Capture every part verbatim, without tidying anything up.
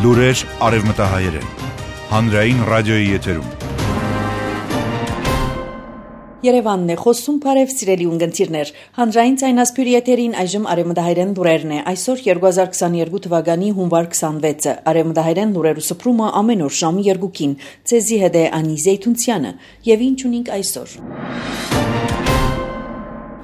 Լուրեր արևմտահայերեն, հանրային ռադիոյի եթերում։ Երևանն է խոսում, բարև սիրելի ունգընտիրներ, հանրային ցայնասպյուրի եթերին այժմ արևմտահայերեն լուրերն է, այսօր երկու հազար քսաներկու թվականի հունվար քսանվեցը, արևմտահայերեն լուրերու սփռումը ամեն օր ժամի երկուքին, ցեզի հետ է Անի Զեյթունցյանը, եւ ինչ ունենք այսօր։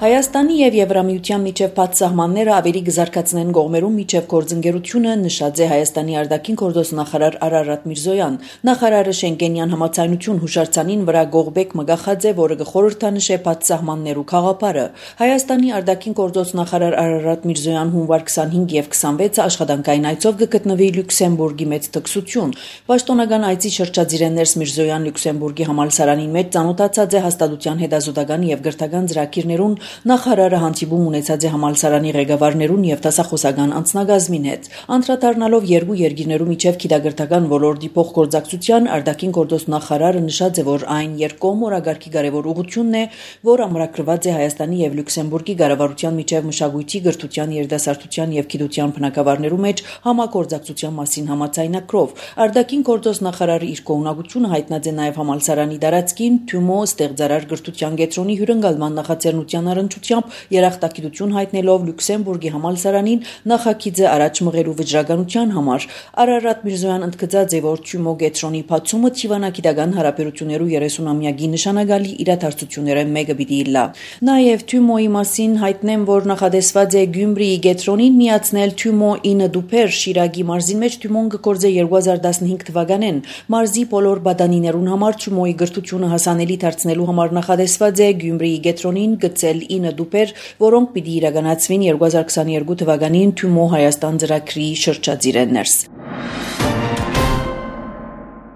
Հայաստանի եւ Եվրամիության միջև բաց սահմանները ավելի կզարգացնեն կողմերում միջև գործընկերությունը, նշած է Հայաստանի արտաքին գործոստ նախարար Արարատ Միրզոյան։ Նախարարը Շենգենյան համաձայնություն հուշարձանին վրա գողբեկ մգախած է, որը կխորհրդանշե բաց սահմաններու խաղապարը։ Հայաստանի արտաքին գործոստ նախարար Արարատ Միրզոյան հունվար քսանհինգ եւ քսանվեցը աշխատանքային այցով կգտնվի Լյուքսեմբուրգի մեծ տքսություն։ Պաշտոնական այցի շրջադիրներս Միրզոյան Լյուքսեմբուրգի համալսարանին մեջ ծանոթացած է հաստատության հետազոտական եւ գրթական ծրագիրներուն Նախարարը հանդիպում ունեցած է համալսարանի ղեկավարներուն եւ դասախոսական անձնագազմին հետ։ Անդրադառնալով երկու երկիրներու միջև գիտագրթական ոլորտի փոխգործակցության արտաքին գործոստ նախարարը նշած է, որ այն երկկողմ օրագարկի կարևոր ուղղությունն է, որ ամրագրված է Հայաստանի եւ Լյուքսեմբուրգի կառավարության միջև մշակույթի, գրթության, երիտասարդության եւ գիտության բնագավառներու մեջ համագործակցության մասին համաձայնագրով։ Արտաքին գործոստ նախարարը իր կողմնակությունը հայտնած է նաեւ համալսարանի տարածքին Թյումո ստեղծարար գրթության կենտրոնի հյուրընկալման նախաձեռնության առնչությամբ երախտագիտություն հայտնելով Լյուքսեմբուրգի համալսարանին նախագիծը առաջ մղելու վճռականության համար։ Արարատ Միրզոյան ընդգծած է, որ Թյումո կենտրոնի բացումը Թիվանագիտական հարաբերություններու երեսունամյակի նշանակալի իրադարձությունները մեկը պիտի լա։ Նաև Թյումոյի մասին հայտնեմ, որ նախադեсված է Գյումրիի կենտրոնին միացնել Թյումո ինը դուփեր Շիրակի մարզին մեջ Թյումոն կգործե երկու հազար տասնհինգ թվականին։ Մարզի բոլոր բադանիներուն համար Թյումոյի գրթությունը հասանելի դարձնելու համար նախադեсված է Գյումրիի կենտրոնին գծել ինը դուփեր, որոնք պիտի իրականացվին երկու հազար քսաներկու թվականին Թյումո Հայաստան ծրագրի շրջադիրներս։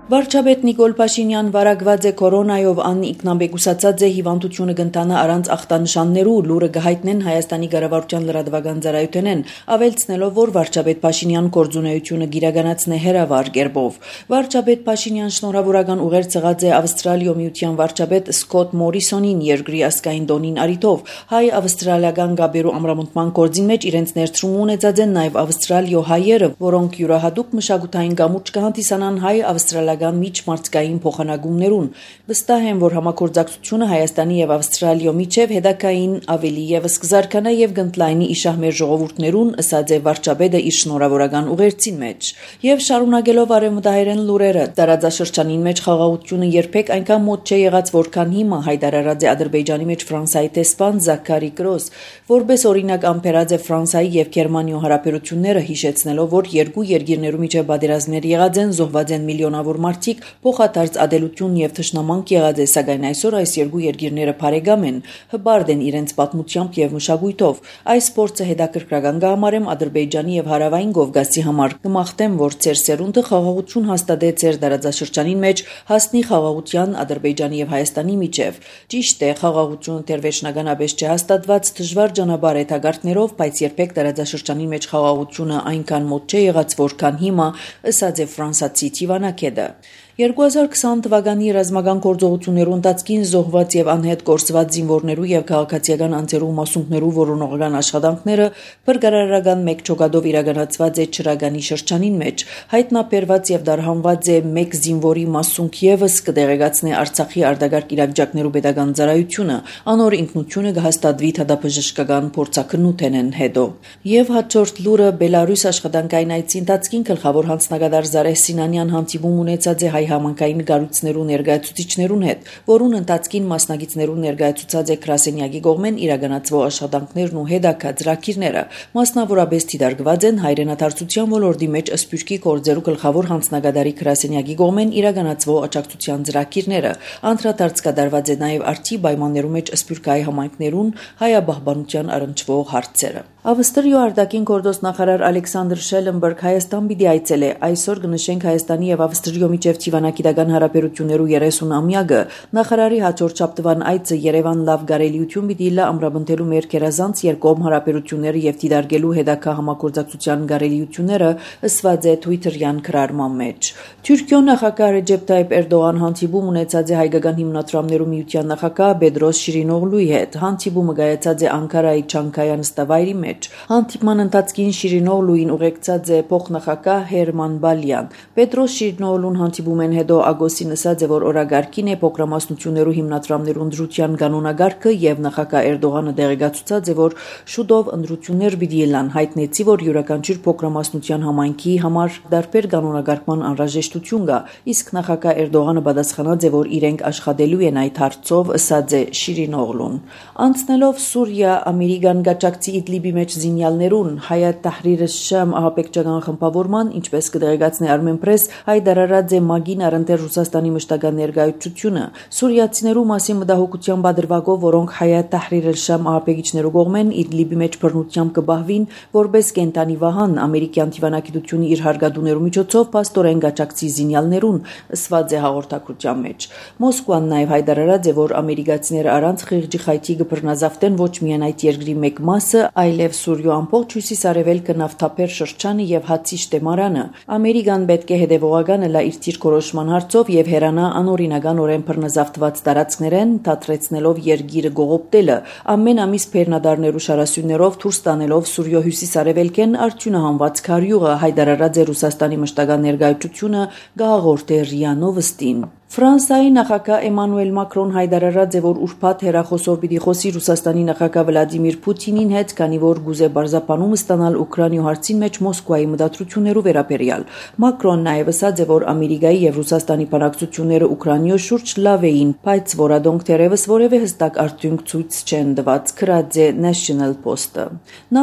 Վարչապետ Նիկոլ Փաշինյան վարակված է կորոնայով, ան ինքնաբեկուսացած է հիվանդությունը կընթանա առանց ախտանշաններու, լուրը կհայտնեն Հայաստանի կառավարության լրատվական ծառայությունեն, ավելցնելով, որ վարչապետ Փաշինյան գործունեությունը գիրականացնե հերավար կերպով։ Վարչապետ Փաշինյան շնորհավորական ուղերձ եղած է Ավստրալիո միության վարչապետ Սկոտ Մորիսոնին երկրի ազգային տոնին արիթով։ Հայ-ավստրալիական գաբերու ամրամնտման գործին մեջ իրենց ներդրում ունեցած են նաև ավստրալիո հայերը, որոնք յուրահատուկ մշակութային գամուրջք կհանդիսանան հայ-ավստրալիական միջմարցկային փոխանակումներուն։ Վստահ եմ, որ համագործակցությունը Հայաստանի եւ Ավստրալիո միջև հետագային ավելի եւս կզարգանա եւ կընդլայնի իշահ մեր ժողովուրդներուն, ըսած է վարչապետը իր շնորհավորական ուղերձին մեջ։ Եվ շարունակելով արևմտահայերեն լուրերը, տարածաշրջանին մեջ խաղաղությունը երբեք այնքան մոտ չէ եղած, որքան հիմա, հայտարարած է Ադրբեջանի մեջ Ֆրանսիայի տեսփան Զաքարի Կրոս, որպես օրինակ ամփերած է Ֆրանսիայի եւ Գերմանիո հարաբերությունները, հիշեցնելով, որ երկու երկիրներու միջև պատերազմներ եղած են, զոհված են միլիոնավոր մարդիկ, փոխադարձ ադելություն եւ թշնամանք եղած է, սակայն այսօր այս երկու երկիրները բարեկամ են, հբարդ են իրենց պատմությամբ եւ մշակույթով։ Այս փորձը հետաքրքրական կհամարեմ Ադրբեջանի եւ Հարավային Կովկասի համար։ Կմաղթեմ, որ ծեր սերունդը խաղաղություն հաստատե ծեր տարածաշրջանին մեջ, հասնի խաղաղության Ադրբեջանի եւ Հայաստանի միջև։ Ճիշտ է, խաղաղությունը դերվերջնականապես չհաստատված դժվար ճանապարհ է թագարտներով, բայց երբեք տարածաշրջանի մեջ խաղաղությունը այնքան մոտ չէ եղած, որքան հիմա, ըսած է ֆրանսացի Թիվանակեդը։ երկու հազար քսան թվականի ռազմական գործողություններու ընթացքին զոհված եւ անհետ կորսված զինվորներու եւ քաղաքացիական անձերու մասունքներու որոնողական աշխատանքները բրգարարական մեկ ճոգադով իրականացված է Չրագանի շրջանին մեջ։ Հայտնաբերված եւ դարհանված է մեկ զինվորի մասունք եւս կդեղեկացնի Արցախի արտագարկ իրավիճակներու պետական ծառայությունը, անոր ինքնությունը կհաստատվի թադապժշկական փորձակնութենեն հետո։ Եվ հաջորդ լուրը Բելարուս աշխատանքային այցի ընթացքին գլխավոր հանձնագետար Զարեհ Սինանյան հանդիպում ունեցած է հայ համանքային գառույցներու ներկայացուցիչներուն հետ, որուն ընթացքին մասնագետներու ներկայացուցած է Գրասենյակի կողմեն իրականացվող աշխատանքներն ու հետագա ծրագիրները։ Մասնավորապես դիտարկված են հայրենադարձության ոլորտի մեջ Սփյուռքի գործերու գլխավոր հանձնագետարի Գրասենյակի կողմեն իրականացվող աջակցության ծրագիրները։ Անդրադարձ կատարված է նաև արդի պայմաններու մեջ Սփյուռքայի համայնքներուն հայաբահբանության առնչվող հարցերը։ Ավստրիո արտաքին գործոստ նախարար Ալեքսանդր Շելենբերգ Հայաստան պիտի այցելե։ Այսօր կնշենք Հայաստանի եւ Ավստրիո միջև Թիվանագիտական հարաբերություններու երեսունամյակը։ Նախարարի հաջորդ շաբթվան այցը Երևան լավ գարելիություն պիտի լա ամրապնդելու մեր գերազանց երկկողմ հարաբերությունները եւ դիտարկելու հետագա համագործակցության գարելիությունները, ըսված է Twitter-յան գրառման մեջ։ Թուրքիո նախագահ Ռեջեփ Թայիփ Էրդողան հանդիպում ունեցած է հայկական հիմնադրամներու միության նախագահ Բեդրոս Շիրինօղլուի հետ։ Հանդիպումը կայացած է Անկարայի Չանկայա նստավայրի մեջ։ մեջ։ Հանդիպման ընթացքին Շիրինօղլուին ուղեկցած է փոխնախագահ Հերման Բալյան։ Պետրոս Շիրինօղլուն հանդիպում են հետո Ագոսին ասաց է, որ օրագարկին է փոքրամասնություններու հիմնադրամներու ընդրության կանոնագարքը եւ նախագահ Էրդողանը դեղեկացուցած է, որ շուտով ընդրություններ պիտի ելան, հայտնեցի, որ յուրաքանչյուր փոքրամասնության համայնքի համար դարբեր կանոնագարկման անհրաժեշտություն կա, իսկ նախագահ Էրդողանը պատասխանած է, որ իրենք աշխատելու են այդ հարցով, ըսած է Շիրինօղլուն։ Անցնելով Սուրիա, Ամերիկան գաճակցի Իդլիբի մեջ զինյալներուն Հայաթ Թահրիր ալ-Շամ ահապեկչական խմբավորման, ինչպես կդեղեկացնի Armenpress, հայտարարած է ՄԱԳ-ին առընթեր Ռուսաստանի մշտական ներկայացությունը։ Սուրիացիներու մասին մտահոգության բادرվագով, որոնք Հայաթ Թահրիր ալ-Շամ ահապեկիչներու կողմեն Իդլիբի մեջ բռնությամբ կբահվին, որպես կենտանի վահան, ամերիկյան դիվանագիտությունը իր հարգադուներու միջոցով պաստորեն գաճակցի զինյալներուն, ըսված է հաղորդակցության մեջ։ Մոսկվան նաև հայտարարած է, որ ամերիկացիները առանց խիղճի խայթի կբռնազավթեն ոչ միայն այդ երկրի մեկ մասը, այլև Սուրիո ամբողջ հյուսիսարևելքը, նավթափեր շրջանը եւ Հացի շտեմարանը։ Ամերիկան պետք է հետեւողական լա իր թիրքորոշման հարցով եւ հերանա անօրինականորեն բռնազավթված տարածքներեն, դադրեցնելով երկիրը գողոպտելը, ամեն ամիս բեռնադարներու շարասյուններով դուրս տանելով Սուրիո հյուսիսարևելքեն արդյունահանված քարյուղը, հայտարարած է Ռուսաստանի մշտական ներկայացությունը գահաղորդ է ՌԻԱ Նովոստին։ Ֆրանսիայի նախագահ Էմանուել Մակրոն հայտարարած է, որ ուրբաթ հեռախոսով պիտի խոսի Ռուսաստանի նախագահ Վլադիմիր Պուտինին հետ, քանի որ գուզե բարձրապանում ստանալ Ուկրաինայի հարցին մեջ Մոսկվայի մտադրություններու վերաբերյալ։ Մակրոն նաև ասաց է, որ Ամերիկայի եւ Ռուսաստանի բանակցությունները Ուկրաինայով շուրջ լավ էին, բայց որադոնք թերևս որևէ հստակ արդյունք ցույց չեն տված, գրած է National Post-ը։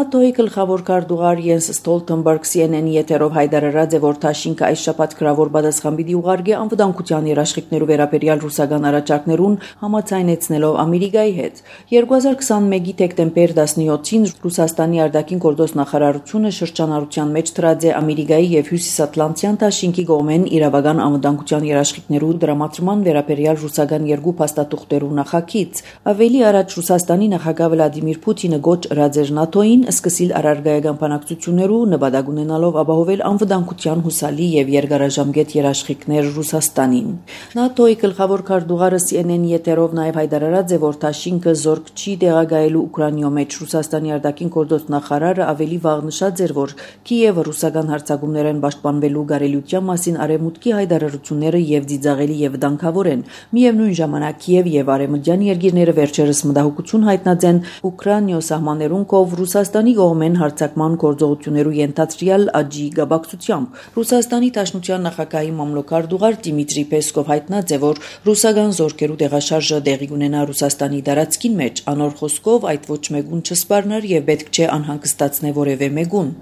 ՆԱՏՕ-ի գլխավոր քարտուղար Յենս Ստոլտենբերգ C N N-ի եթերով հայտարարած է, որ Թաշինքը այս շաբաթ գրավոր պատասխան պիտի ուղարկի անվտանգության երաշխիքներու վերաբերյալ ռուսական առաջարկներուն համաձայնեցնելով Ամերիկայի հետ։ երկու հազար քսանմեկի դեկտեմբեր տասնյոթին Ռուսաստանի արտաքին գործոստ նախարարությունը շրջանառության մեջ դրած է Ամերիկայի եւ Հյուսիսատլանտյան Թաշինքի կողմեն իրավական անվտանգության երաշխիքներու դրամատրման վերաբերյալ ռուսական երկու փաստաթուղթերու նախագիծ։ Ավելի առաջ Ռուսաստանի նախագահ Վլադիմիր Պուտինը գոչ ըրած էր ՆԱՏՕ-ին սկսիլ առարգայական բանակցություններու նպատակ ունենալով ապահովել անվտանգության հուսալի եւ երկարաժամկետ երաշխիքներ Ռուսաստանին։ ՆԱՏՕ-ի գլխավոր քարտուղարը C N N-ի եթերով նաև հայտարարած է, որ Թաշինքը զորք չի տեղակայելու Ուկրաինայում մեջ։ Ռուսաստանի արտաքին գործոստ նախարարը ավելի վաղ նշած էր, որ Կիևը ռուսական հարձակումներեն պաշտպանվելու կարելիության մասին արևմուտքի հայտարարությունները եւ ծիծաղելի եւ վտանգավոր են։ Միևնույն ժամանակ Կիև եւ արևմտյան երկիրները վերջերս մտահոգություն հայտնած են Ուկրաինայո սահմաններուն կով Ռուսաստանի կողմեն հարձակման գործողություններու ենթադրյալ աճի գաբակցությամբ։ Ռուսաստանի Դաշնության նախագահի մամլոքարտուղար Դիմիտրի Պեսկով հայտնած է, որ ռուսական զորքերու տեղաշարժը տեղի կունենա Ռուսաստանի տարածքին մեջ, անոր խոսքով այդ ոչ մեկուն չսպառներ եւ պետք չէ անհանգստացնե որևէ մեկուն։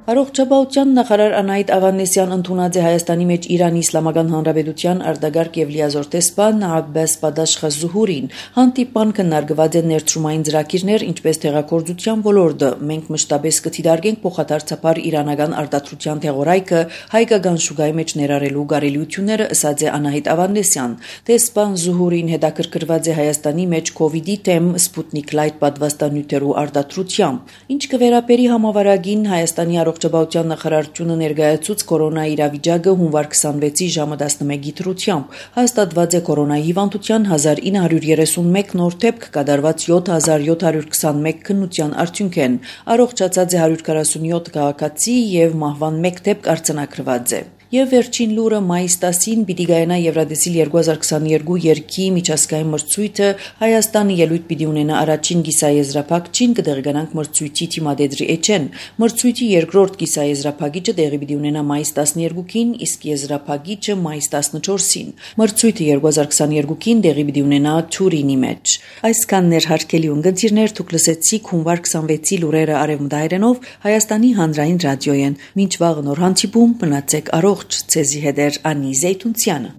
Առողջապահության նախարար Անահիտ Ավանեսյան ընդունած է Հայաստանի մեջ Իրանի Իսլամական Հանրապետության արտագաղթ եւ լիազոր տեսփան Աբբաս Բադաշխազուհուրին։ Հանդիպման քննարկված են ներդրումային ծրագիրներ, ինչպես տեղեկատվության ոլորտը։ Մենք մշտապես կդիտարկենք փոխադարձաբար իրանական արտադրության թեղորայքը հայկական շուկայի մեջ ներառելու կարելիությունները, ըսած է Անահիտ Ավանեսյան։ Տեսփան Զուհուրին հետաքրքրված է Հայաստանի մեջ կովիդի դեմ Սպուտնիկ Լայթ պատվաստանյութերու արտադրությամբ։ Ինչ կվերապերի համավարակին Հայաստանի Առողջապահության նախարարությունը ներկայացուց կորոնայի իրավիճակը հունվար քսանվեցի ժամը տասնմեկի դրությամբ։ Հաստատված է կորոնայի հիվանդության հազար ինը հարյուր երեսունմեկ նոր դեպք, կատարված յոթ հազար յոթ հարյուր քսանմեկ քննության արդյունք են։ Առողջացած է հարյուր քառասունյոթ քաղաքացի եւ մահվան մեկ դեպք արձանագրված է։ Եվ վերջին լուրը մայիս տասին պիտի գայանա Եվրադեսիլ երկու հազար քսաներկու երգի միջազգային մրցույթը Հայաստանը ելույթ պիտի ունենա առաջին կիսաեզրափակչին, կդեղեկանանք մրցույթի թիմադեդրի էջեն։ Մրցույթի երկրորդ կիսաեզրափակիչը տեղի պիտի ունենա մայիս տասներկուին, իսկ եզրափակիչը մայիս տասնչորսին։ Մրցույթը երկու հազար քսաներկուին տեղի պիտի ունենա Թուրինի մեջ։ Այսքանն էր հարգելի ունգընտիրներ, դուք լսեցիք հունվար քսանվեցի լուրերը արևմտահայերենով Հայաստանի հանրային ռադիոյեն։ Մինչ վաղը նոր հանդիպում, մնացեք առողջ, ցեզի հետ էր Անի Զեյթունցյանը։